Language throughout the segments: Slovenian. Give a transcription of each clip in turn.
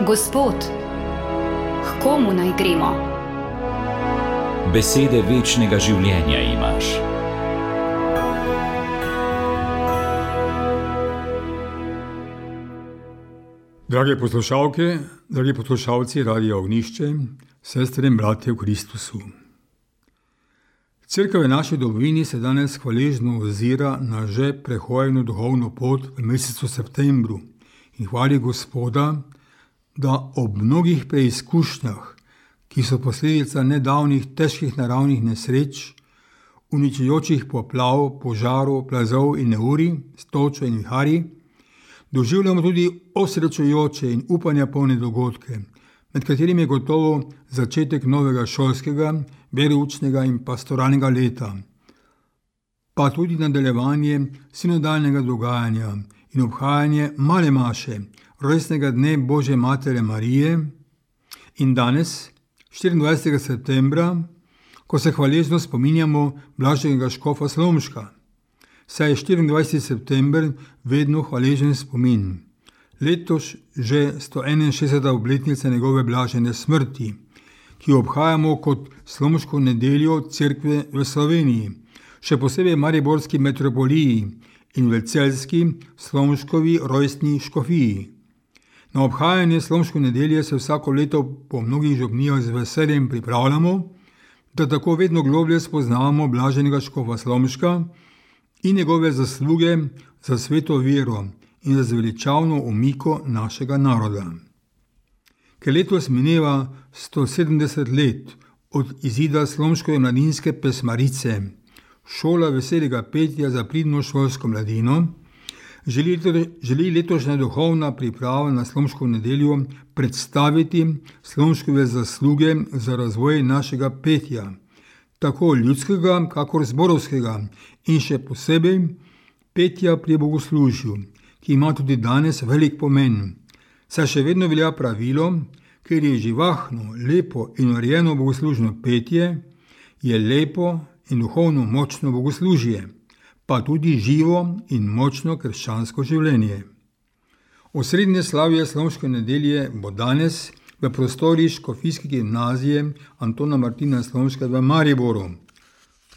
Gospod, k komu naj gremo? Besede večnega življenja imaš. Drage poslušalke, dragi poslušalci Radia Ognjišče, sestre in bratje v Kristusu. Cerkev v naši domovini se danes hvaležno ozira na že prehojeno duhovno pot v mesecu septembru in hvali Gospoda, da ob mnogih preizkušnjah, ki so posledica nedavnih težkih naravnih nesreč, uničujočih poplav, požarov, plazov in neurij, s točo in viharji, doživljamo tudi osrečujoče in upanja polne dogodke, med katerimi je gotovo začetek novega šolskega, veroučnega in pastoralnega leta, pa tudi nadaljevanje sinodalnega dogajanja in obhajanje male maše, rojstnega dne Božje Matere Marije, in danes, 24. septembra, ko se hvaležno spominjamo blaženega škofa Slomška, saj je 24. september vedno hvaležen spomin. Letos že 161. obletnica njegove blažene smrti, ki jo obhajamo kot Slomško nedeljo Cerkve v Sloveniji, še posebej v mariborski metropoliji in v celjski Slomškovi rojstni škofiji. Na obhajanje Slomške nedelje se vsako leto po mnogih župnijah z veseljem pripravljamo, da tako vedno globlje spoznavamo blaženega škofa Slomška in njegove zasluge za sveto vero in za zveličavno umiko našega naroda. Ker letos mineva 170 let od izida Slomškove mladinske pesmarice, šola veselega petja za pridno šolsko mladino, želi letošnja duhovna priprava na Slomško nedeljo predstaviti Slomškove zasluge za razvoj našega petja, tako ljudskega, kakor zborovskega, in še posebej petja pri bogoslužju, ki ima tudi danes velik pomen, saj še vedno velja pravilo, ker je živahno, lepo in urejeno bogoslužno petje, je lepo in duhovno močno bogoslužje, pa tudi živo in močno krščansko življenje. Osrednje slavje Slomške nedelje bo danes v prostorih Škofijske gimnazije Antona Martina Slomška v Mariboru,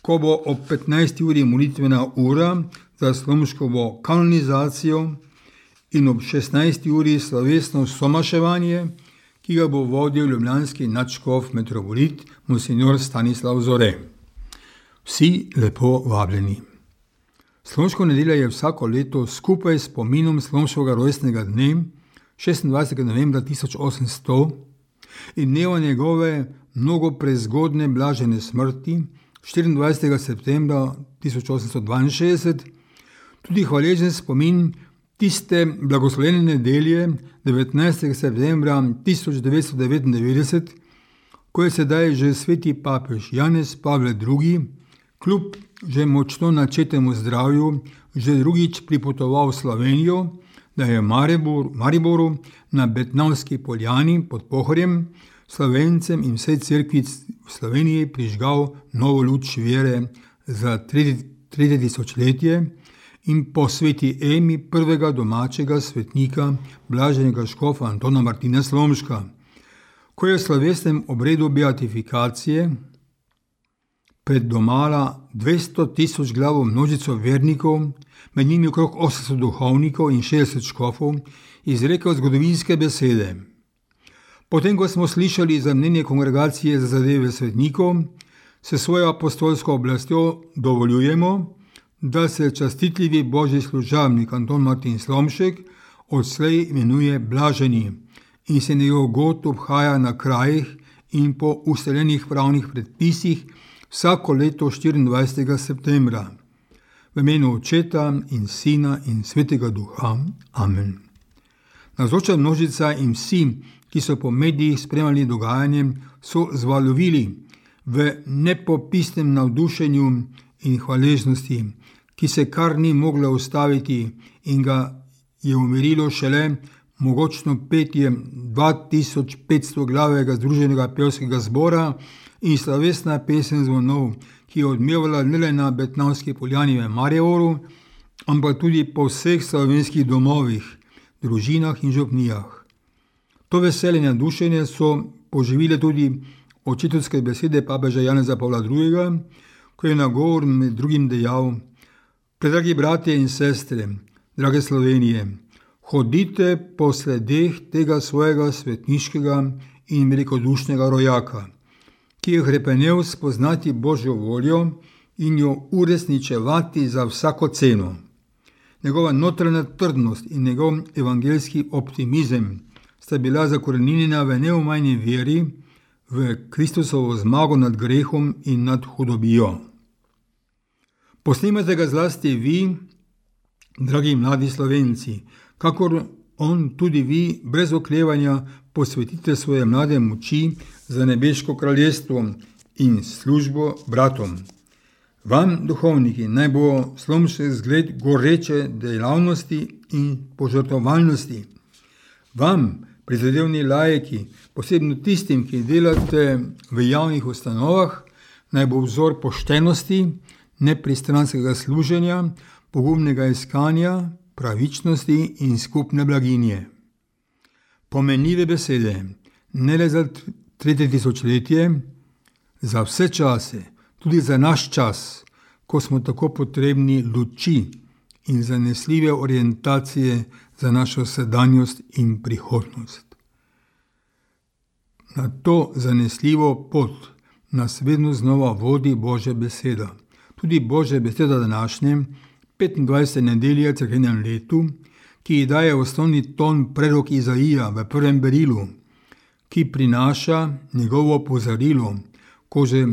ko bo ob 15. uri molitvena ura za Slomškovo kanonizacijo in ob 16. uri slovesno somaševanje, ki ga bo vodil ljubljanski nadškof metropolit monsignor Stanislav Zore. Vsi lepo vabljeni. Slomško nedelja je vsako leto skupaj s spominom Slomškovega rojstnega dne 26. novembra 1800 in dneva njegove mnogo prezgodne blažene smrti 24. septembra 1862 tudi hvaležen spomin tiste blagoslovljene nedelje 19. septembra 1999, ko je sedaj že sveti papež Janez Pavel II. Kljub že močno načetemu zdravju že drugič pripotoval v Slovenijo, da je v Mariboru na Betnavski poljani pod Pohorjem Slovencem in vsej cerkvi v Sloveniji prižgal novo luč vere za tretje tisočletje in po sveti Emi prvega domačega svetnika blaženega škofa Antona Martina Slomška, ko je v slovesnem obredu beatifikacije pred domala 200 000 glavo množico vernikov, med njimi okrog 800 duhovnikov in 60 škofov, izrekel zgodovinske besede. Potem, ko smo slišali za mnenje kongregacije za zadeve svetnikov, se svojo apostolsko oblastjo dovoljujemo, da se častitljivi božji služabnik Anton Martin Slomšek odslej imenuje blaženi in se njegov god obhaja na krajih in po ustaljenih pravnih predpisih vsako leto 24. septembra. V imenu Očeta in Sina in Svetega Duha. Amen. Navzoča množica in vsi, ki so po medijih spremljali dogajanje, so zvalovili v nepopisnem navdušenju in hvaležnosti, ki se kar ni mogla ustaviti in ga je umirilo šele mogočno petje 2500 glavega združenega pevskega zbora in slovesna pesem zvonov, ki je odmevala ne le na Betnavski poljani v Mariboru, ampak tudi po vseh slovenskih domovih, družinah in župnijah. To veselje in navdušenje so poživile tudi očetovske besede papeža Janeza Pavla II., ko je na govor med drugim dejal: Predragi bratje in sestre, drage Slovenije, hodite po sledeh tega svojega svetniškega in velikodušnega rojaka, ki je hrepenel spoznati Božjo voljo in jo uresničevati za vsako ceno. Njegova notranja trdnost in njegov evangeljski optimizem sta bila zakorenjena v neomajni veri v Kristusovo zmago nad grehom in nad hudobijo. Posnemate ga zlasti vi, dragi mladi Slovenci, kakor on tudi vi brez oklevanja posvetite svoje mlade moči za nebeško kraljestvo in službo bratom. Vam, duhovniki, naj bo slomšek zgled goreče dejavnosti in požrtvovalnosti. Vam, prizadevni laiki, posebno tistim, ki delate v javnih ustanovah, naj bo vzor poštenosti, nepristranskega služenja, pogumnega iskanja, pravičnosti in skupne blaginje. Pomenljive besede, ne le za 3. tisočletje, za vse čase, tudi za naš čas, ko smo tako potrebni luči in zanesljive orientacije za našo sedanjost in prihodnost. Na to zanesljivo pot nas vedno znova vodi Božja beseda. Tudi Božja beseda današnje, 25. nedelje cerkvenem letu, ki ji daje osnovni ton prerok Izaija v prvem berilu, ki prinaša njegovo opozorilo, ko že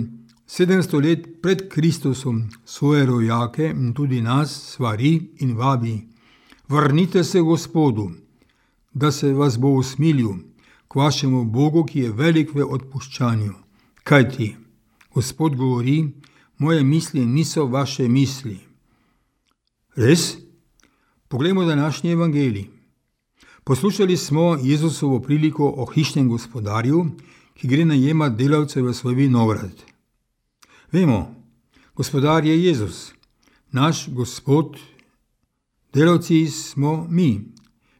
700 let pred Kristusom svoje rojake in tudi nas svari in vabi: Vrnite se Gospodu, da se vas bo usmilil, k vašemu Bogu, ki je velik v odpuščanju. Kajti Gospod govori: moje misli niso vaše misli. Res? Poglejmo današnji evangelij. Poslušali smo Jezusovo priliko o hišnem gospodarju, ki gre najemati delavce v svoj vinograd. Vemo, gospodar je Jezus, naš Gospod, delavci smo mi.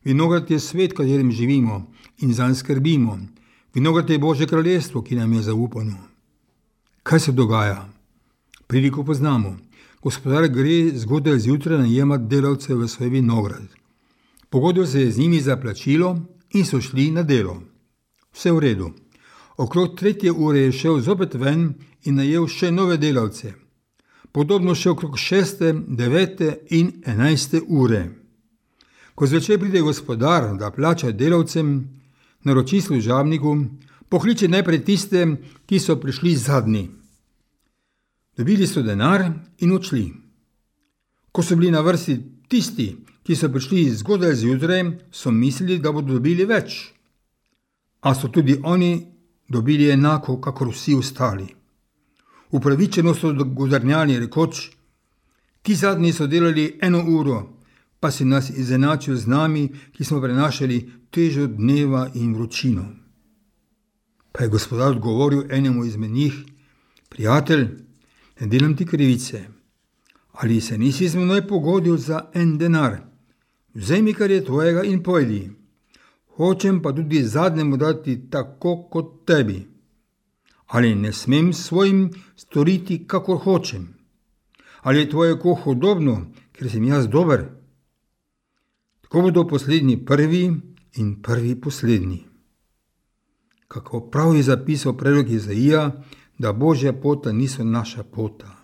Vinograd je svet, v katerem živimo in zanj skrbimo. Vinograd je Božje kraljestvo, ki nam je zaupano. Kaj se dogaja? Priliko poznamo. Gospodar gre zgodaj zjutraj najemati delavce v svoj vinograd. Pogodil se je z njimi za plačilo in so šli na delo. Vse v redu. Okrog 3. ure je šel zopet ven in najel še nove delavce. Podobno še okrog 6., 9. in 11. ure. Ko zvečer pride gospodar, da plača delavcem, naroči služabniku, pokliče najprej tiste, ki so prišli zadnji. Dobili so denar in odšli. Ko so bili na vrsti tisti, ki so prišli zgodaj zjutraj, so mislili, da bodo dobili več. A so tudi oni dobili enako, kakor vsi ostali. Upravičeno so godrnjali, rekoč: ti zadnji so delali 1 uro, pa si nas izenačil z nami, ki smo prenašali težo dneva in vročino. Pa je gospodar odgovoril enemu izmed njih: prijatelj, ne delam ti krivice. Ali se nisi z menoj pogodil za 1 denar? Vzemi, kar je tvojega, in pojdi. Hočem pa tudi zadnjemu dati tako kot tebi. Ali ne smem svojim storiti, kakor hočem? Ali je tvoje oko hudobno, ker sem jaz dober? Tako bodo poslednji prvi in prvi poslednji. Kako prav je zapisal prerok Izaija, da Božja pota niso naša pota.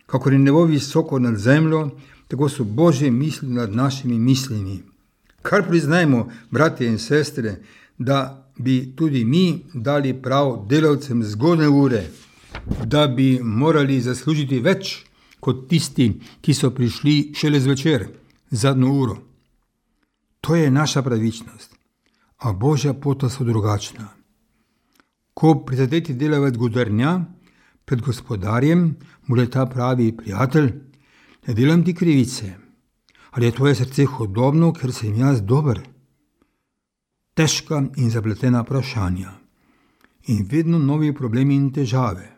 Kakor je nebo visoko nad zemljo, tako so Božje misli nad našimi mislimi. Kar priznajmo, bratje in sestre, da bi tudi mi dali prav delavcem zgodne ure, da bi morali zaslužiti več kot tisti, ki so prišli šele zvečer, zadnjo uro. To je naša pravičnost, a Božja pota so drugačna. Ko prizadeti delavec godrnja pred gospodarjem, mu le ta pravi: prijatelj, ne delam ti krivice. Ali je tvoje srce hudobno, ker sem jaz dober? Težka in zapletena vprašanja. In vedno novi problemi in težave.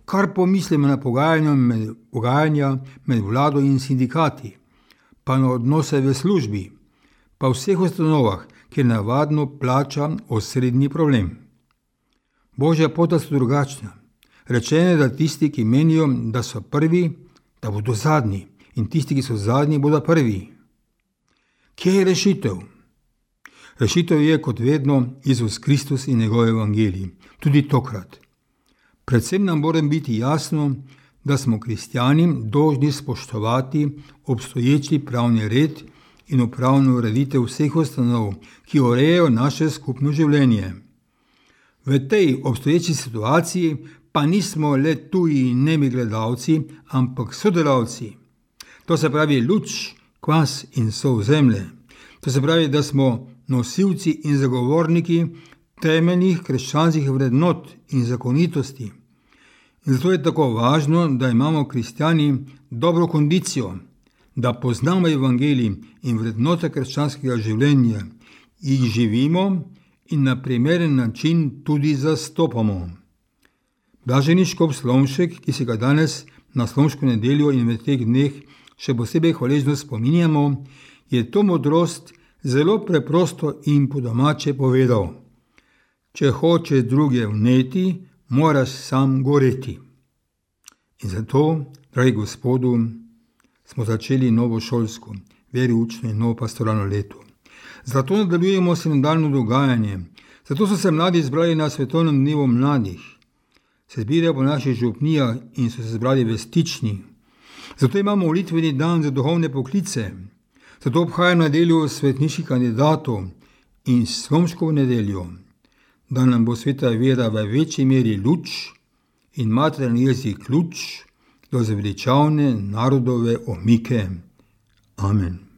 Kar pomislimo na pogajanja med vlado in sindikati, pa na odnose v službi, pa v vseh ustanovah, kjer navadno plača osrednji problem. Božja pota so drugačna. Rečeno je, da tisti, ki menijo, da so prvi, da bodo zadnji, in tisti, ki so zadnji, bodo prvi. Kje je rešitev? Rešitev je, kot vedno, Jezus Kristus in njegov evangelij, tudi tokrat. Predvsem nam mora biti jasno, da smo kristjani dolžni spoštovati obstoječi pravni red in upravno ureditev vseh ustanov, ki urejajo naše skupno življenje. V tej obstoječi situaciji pa nismo le tuji nemi gledalci, ampak sodelavci. To se pravi luč, kvas in sol zemlje. To se pravi, da smo nosilci in zagovorniki temeljnih krščanskih vrednot in zakonitosti. In zato je tako važno, da imamo kristjani dobro kondicijo, da poznamo evangelij in vrednote krščanskega življenja, jih živimo in na primeren način tudi zastopamo. Blaženi škof Slomšek, ki se ga danes na Slomško nedeljo in v teh dneh še posebej hvaležno spominjamo, je to modrost zelo preprosto in po domače povedal. Če hočeš druge vneti, moraš sam goreti. In zato, dragi Gospodu, smo začeli novo šolsko, veriučno in novo pastoralno leto. Zato nadaljujemo sinodalno dogajanje. Zato so se mladi zbrali na svetovnem dnevu mladih. Se zbirajo po naših župnijah in so se zbrali v Stični. Zato imamo molitveni dan za duhovne poklice. Zato obhajamo nedeljo svetniških kandidatov in Slomškovo nedeljo, da nam bo sveta vera v večji meri luč in materialni jezik ključ do zveličavne narodove omike. Amen.